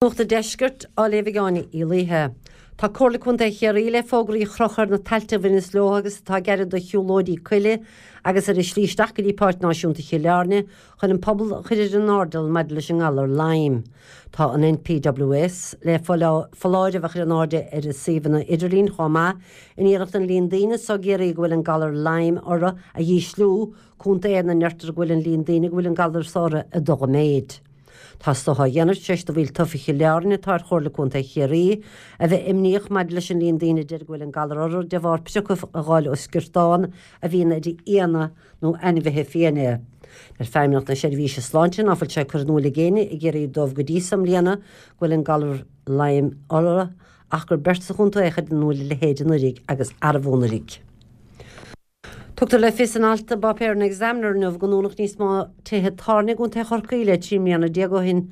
Nuacht an Deiscirt á léamh ag Áine Uí Laoithe. Tá Comhairle Contae Chiarraí le fógraí a chrochadh ar na tailte a bhaineas leo agus atá gar do shiúlóidí coille agus ar an slí isteach go dtí Páirc Náisiúnta Chill Airne chun an pobal a chur ar an airdeall maidir leis an ngalar Lyme. Tá an NPWS le foláireamh a chur in airde ar a suíomhanna idirlín chomh maith in iarracht an líon daoine anso i gCiarraí go bhfuil an galar Lyme orthu a dhísliú, contae ina ndeirtear go bhfuil an líon daoine go bhfuil an galar so orthu ag dul i méid. Tá so á dhéanamh tar éis do bhaill tofa Chill Airne atá ar Chomhairle Contae Chiarraí a bheith imníoch maidir leis an líon daoine a deir go bhfuil an galar orthu de bharr priocadh a dh'fháil ó sciortán a bhíonn ar fhianna nó ainmhithe fiaine. Deir Feidhmeannacht na Seirbhíse Sláinte ná fuil sé curtha in iúl ag éinne i gCiarraí dóibh go dtí so i mbliana go bhfuil an galar Lyme orthu ach gur beirt sa chontae a chuir in iúl a leithéid anuraidh agus arbh anuraidh. Tugtar le fios in alt i bpáipéar an Examiner inniu go ndúnadh níos mó tithe tábhairne i gContae Chorcaí le 13 mbliana ó shin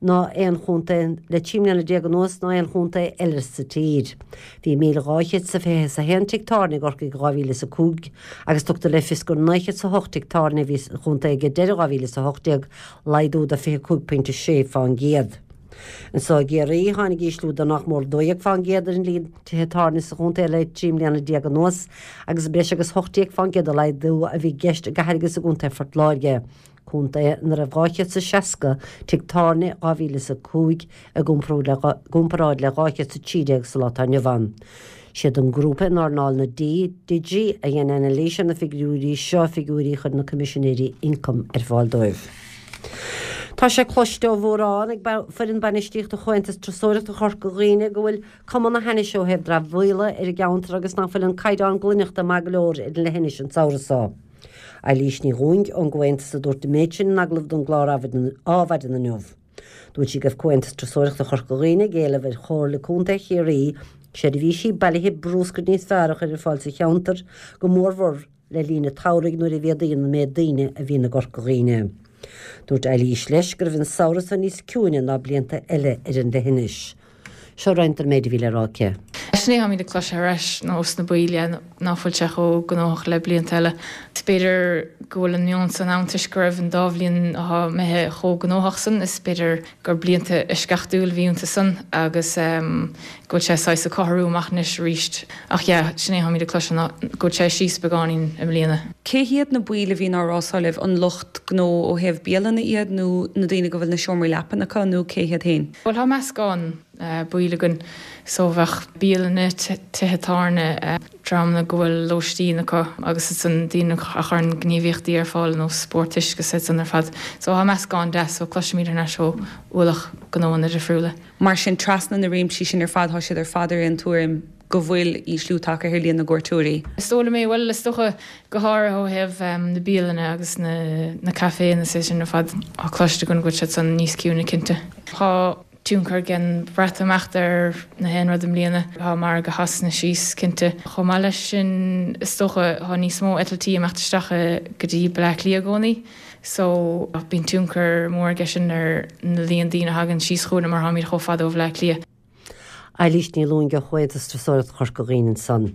ná aon chontae le 13 mbliana anuas ná aon chontae eile sa tír. Bhí 1,221 tigh tábhairne i gCorcaigh i 2005 agus tugtar le fios gur 908 tigh tábhairne a bhí sa chontae ag deireadh 2018, laghdú de 25.6 fán gcéad. Anso i gCiarraí, tháinig ísliú de nach mór 12 fán gcéad ar an líon tithe tábhairne sa chontae le 13 mbliana anuas agus breis agus 18 fán gcéad de laghdú a bhí i gceist i gcathair agus i gcontae Phort Láirge, contae ina raibh 260 tigh tábhairne i 2005 i gcomparáid le 213 sa lá atá inniu ann. Siad an grúpa in earnáil na dí, Digi, a dhein anailís ar na figiúirí seo, figiúirí a chuir na Coimisinéirí Ioncaim ar fáil dóibh. Tá sé cloiste ó mhórán ag foireann bainistíochta Chomhaontas Turasóireachta Chorca Dhuibhne go bhfuil cuma na hainnise ó thaobh dramhaíola ar an gceantar agus nach bhfuil an caighdeán glaineachta maith go leor ar an leithinis an samhradh seo. Eilís Ní Dhúing ón gComhaontas a dúirt an méid sin in agallamh don gclár Adhmhaidin inniu. Dúirt sí go raibh Comhaontas Turasóireachta Chorca Dhuibhne ag éileamh ar Chomhairle Contae Chiarraí seirbhísí bailithe brúscair níos fearr a chur ar fáil sa cheantar, go mórmhór le linn an tsamhraidh nuair a mhéadaíonn an méid daoine a bhíonn i gCorca Dhuibhne. Dúirt Eilís leis go raibh an samhradh seo níos ciúine ná blianta eile ar an leithinis. Seo roinnt den méid a bhí le rá aici. Sin é táimid ag cloisteáil thar ais ós na baill ná fuil sé chomh gnóthach le blianta eile. Is b'fhéidir go bhfuil an meon san ann toisc go raibh an dá bhliain atá imithe chomh gnóthach san, is b'fhéidir gur blianta eisceachtúil a bhí iontu san agus go bhfuil sé saghas ag cothromú amach anois arís. Ach yeah, sin é táimid ag cloisteáil ná go bhfuil sé síos beagáinín i mbliana. Cé hiad na baill a bhíonn á rá so libh? An lucht gnó ó thaobh bialanna iad nó na daoine go bhfuil na seomraí leapan acu nó cé hiad féin? Bhuel tá meascán baill againn so bheadh bialanna, tithe tábhairne, dreamanna go bhfuil lóistín acu agus ansan daoine a chuireann gníomhaíochtaí ar fáil ar nós spórt uisce is iad san ar fad. So tá meascán deas so cloisimid thar n-ais ó ualach gnóanna difriúla. Mar sin trasna na réimsí sin ar fad tá siad ar fad ar aon tuairim go bhfuil ísliú tagtha ar líon na gcuairteoirí. Is dóigh liom é, bhuel is dócha go háirithe ó thaobh na bialanna agus na na caiféanna is é sin ar fad tá cloiste againn go bhfuil siad san níos ciúine cinnte. Tá tionchar ag an Bhreatimeacht ar na haon rud i mbliana. Tá margadh Shasana síos, cinnte. Chomh maith leis sin, is dócha, tá níos mó eitiltí ag imeacht isteach go dtí Bleá Cliath i gcónaí so bíonn tionchar mór aige sin ar na líon daoine a thagann síos chugainn mar táimid chomh fada ó Bhleá Cliath. Eilís Ní Lúing ó Chomhaontas Turasóireachta Chorca Dhuibhne ansan.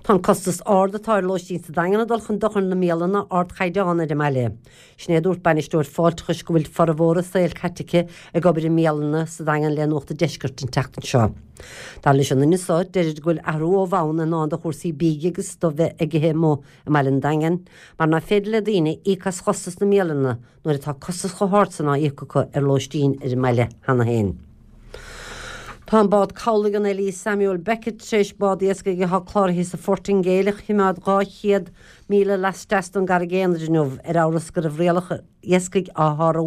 Tá an costas ard atá ar lóistín sa Daingean ag dul chun dochair na mbialanna ardchaighdeán ar an mbaile. Sin é a dúirt bainisteoir fáilteachais go bhfuil formhór a saoil caite aici ag obair i mbialanna sa Daingean le Nuacht an Deiscirt an tseachtain seo. Dar leis an nduine seo, deirid go bhfuil athrú ó bhonn i ndán do chúrsaí bídh agus do bheith ag ithe amuigh i mbaile an Daingin mar nach féidir le daoine íoc as chostas na mbialanna nuair atá costas chomh hard san á íoc acu ar lóistín ar an mbaile cheana féin. Tá an bád cabhlaigh an Elise Samuel Beckett tar éis bád iascaigh atá cláraithe sa Phortaingéil a choimeád 200 míle laisteas den gCarraig Aonair inniu ar amhras go raibh rialacha iascaigh á shárú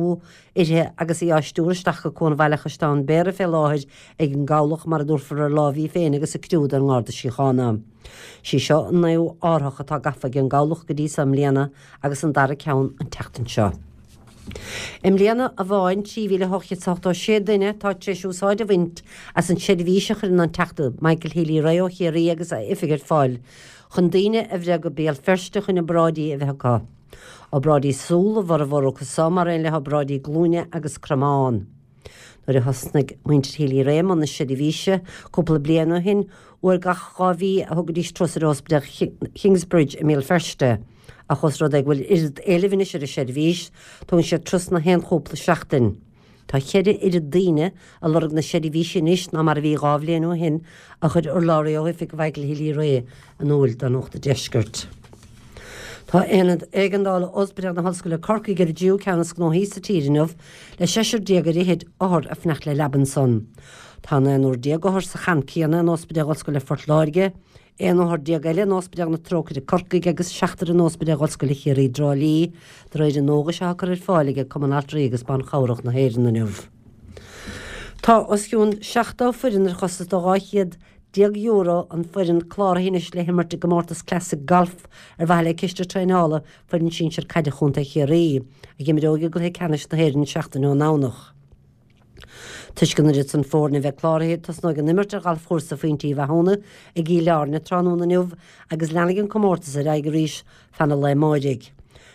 uirthi agus í á stiúradh isteach go Cuan Bhaile Chaisleán Bhéarra fé láthair ag an gcabhlach mar a dtabharfar ar láimh í féin agus a criú don nGarda Síochána. Sí seo an naoú árthach atá gafa ag an gcabhlach go dtí seo i mbliana agus an dara ceann an tseachtain seo. I mbliana amháin, 3,886 duine atá tar éis úsáid a bhaint as an tseirbhís a chuireann an Teachta Michael Healy-Rae ó Chiarraí agus a oifig ar fáil chun daoine a bhreith go Béal Feirste chun obráidí a bheith acu. Obráidí súl a bhformhór acu so, mar aon le hobráidí glúine agus cromán. Nuair a thosnaigh muintir Healy-Rae i mbun na seirbhíse cúpla bliain ó shin, uair gach 2 mhí a thugaidís turas ar Ospidéal Kingsbridge i mBéal Feirste. Ach ós rud é go bhfuil oiread éilimh anois ar an seirbhís, tugann siad turas na haon chúpla seachtain. Tá cheithre oiread daoine ag lorg na seirbhíse anois ná mar a bhí 2 bhliain ó shin, a chuir urlabhraí ó oifig Mhichael Healy-Rae in iúl do Nuacht an Deiscirt. Tá Aonad Éigeandála Ospidéal na hOllscoile Corcaigh ar an dtríú ceann is gnóthaí sa tír inniu, le seisear déag ar fhichid othar ag fanacht le leaba ansan. Tá naonúr déag othar sa champ céanna in Ospidéal Ollscoile Phort Láirge, 11 othar eile in Ospidéal na Trócaire Corcaigh agus seachtar in Ospidéal Ollscoile Chiarraí i dTrá Lí, de réir an eolais atá curtha ar fáil ag Cumann Altraí agus Ban Chabhrach na hÉireann inniu. Tá os cionn 70 foireann ar chostas de €1200 an foireann cláraithe anois le himirt i gcomórtas Classic Golf ar mhaithe le ciste traenála foireann sinsir caide Chontae Chiarraí, a imreoidh i gcluiche ceannais na hÉireann seachtain ón nDomhnach. Toisc an oiread san foirne a bheith cláraithe, tosnóidh an imirt ar ghalfchúrsa Phointe Uí Mhathúna i gCill Airne tráthnóna inniu agus leanfaidh an comórtas ar aghaidh arís fan an lae amáirigh.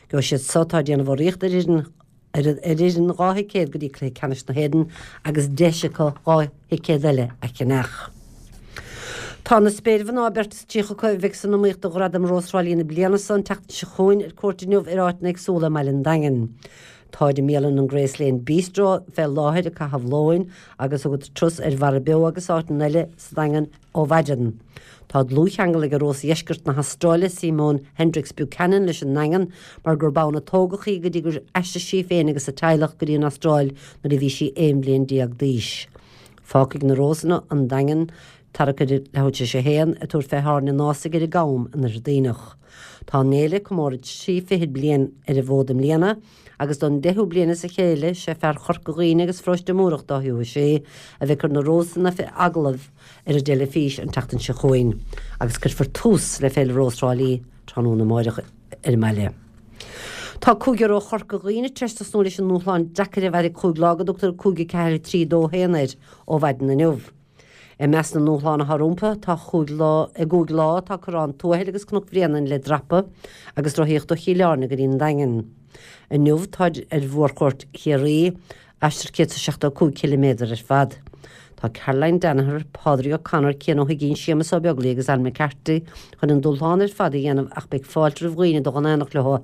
Gheobhaidh siad so atá ag déanamh urraíocht ar fhoireann ar fhoireann 2 thicéad go dtí cluiche ceannais na hÉireann agus deis acu 2 thicéad eile a cheannach. Tá na spéirmhná, beirt is 30 acu, a bheidh san iomaíocht do Ghradam Rós Thrá Lí na bliana so an tseachtain seo chugainn ar cuairt inniu ar áiteanna éagsúla i mbaile an Daingin. Táid i mbialann an Grace Lane Bistro fé láthair ag caitheamh lóin agus thugadar turas ar Bharra Beo agus áiteanna eile sa Daingean ó mhaidin. Tá dlúthcheangal ag Rós Dheisceart na hAstráile, Simone Hendricks Buchanan leis an nDaingean mar gurb ann a tógadh í go dtí gur aistrigh sí féin agus a teaghlach go dtí an Astráil nuair a bhí sí 11 bliain d'aois. Fágfaidh na Rósanna an Daingean tarrac ar leathuair tar éis a haon ag tabhairt fé thábhairne an Ásaigh ar an gCam in Oirthear Duibhneach. Tá an fhéile ag comóradh trí fichid bliain ar an bhfód i mbliana agus don deichiú bliain as a chéile sé fear Chorca Dhuibhne agus Pharóiste Múrach Dáithí Ó Sé a bheidh ag cur na Rósanna fé agallamh ar an dteilifís an tseachtain seo chugainn agus cuirfear tús le Féile Rós Thrá Lí tráthnóna amáireach ar an mbaile. Tá cúigear ó Chorca Dhuibhne tar éis tosnú leis an ndúshlán deacair a mhairfidh chúig lá go dtugtar 5 4 3 2 1 air ó mhaidin inniu. I measc na ndúshlán atá rompu tá chúig lá, i gcúig lá tá Corrán Tuathail agus Cnoc Bhréanainn le dreapadh agus rothaíocht ó Chill Airne go dtí an Daingean. Inniu táid ar mhórchuairt Chiarraí, aistear 175 ciliméadar ar fad. Tá Caroline Danaher, Pádraig O'Connor, Cian Ó hUiginn, Séamus Ó Beaglaoich agus Anne McCarthy chun an dúshlán ar fad a dhéanamh ach beidh fáilte roimh dhaoine dul in éineacht leo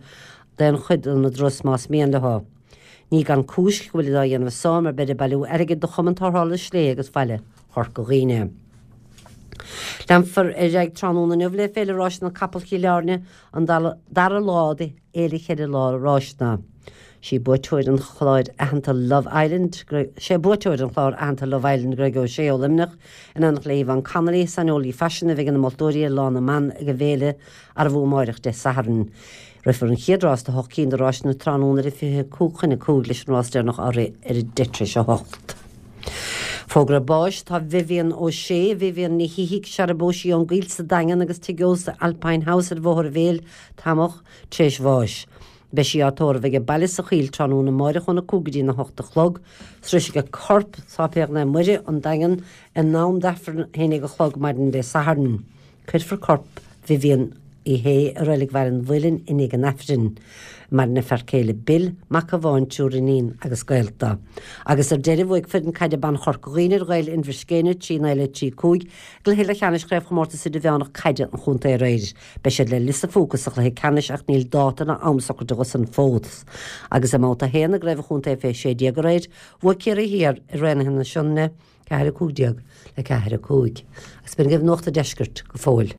d'aon chuid den dturas más mian leo. Ní gan cúis go bhfuilid á dhéanamh so mar beid ag bailiú airgid do Chumann Tarrthála Sléibhe agus Bhaile Chorca Dhuibhne. Leanfar ar aghaidh tráthnóna inniu le Féile Ráiseanna Capall Chill Airne, an dara lá de fhéile cheithre lá ráiseanna. Sí buaiteoir an chláir aitheanta Love Island, sé buaiteoir an chláir aitheanta Love Island Greg O'Shea ó Luimneach, in éineacht le Yvonne Connolly, saineolaí faisin a bheidh ina moltóirí ar Lá na mBan ag an bhféile arbh fhiú amáireach Dé Sathairn. Rithfear an chéad rás de hocht cinn de ráiseanna tráthnóna ar a 25 chun 5 leis an rás deireanach á rith ar a 10 tar éis 8. Fógra báis Tá Vivian O'Shea, Vivian Ní Shíthigh, searbóisí ón gCoill sa Daingean agus tigh ósta Alpine House ar Bhóthar an Bhéil, Tamhach, tar éis bháis. Beidh sí á tórramh age baile sa Choill tráthnóna amáireach óna 5 go dtína 8 a chlog. Sroisfidh a corp Sáipéal Naomh Muire, An Daingean, in am d'Aifreann a 11 a chlog maidin Dé Sathairn. Cuirfear corp Vivian Uí Shé i Reilig Bhaile an Mhuilinn i ndiaidh an Aifrinn. Maireann a fear céile Bill, mac amháin, triúr iníon agus gaolta. Agus ar deireadh bhuaigh foireann caide ban Chorca Dhuibhne ar Ghaeil Inbhir Scéine, 3 9 le 3 5, i gcluiche leathcheannais Chraobhchomórtas Idirmheánach Caide an Chontae aréir. Beidh siad le Lios a' Phúca sa chluiche ceannais ach níl dáta ná am socraithe dhó san fós. Agus i mbabhta 1 i gCraobh an Chontae fé 16 aréir, bhuaigh Ciarraí Thiar ar Raonaithe na Sionainne, 4 15 le 4 5. Agus b'in agaibh Nuacht an Deiscirt go fóill.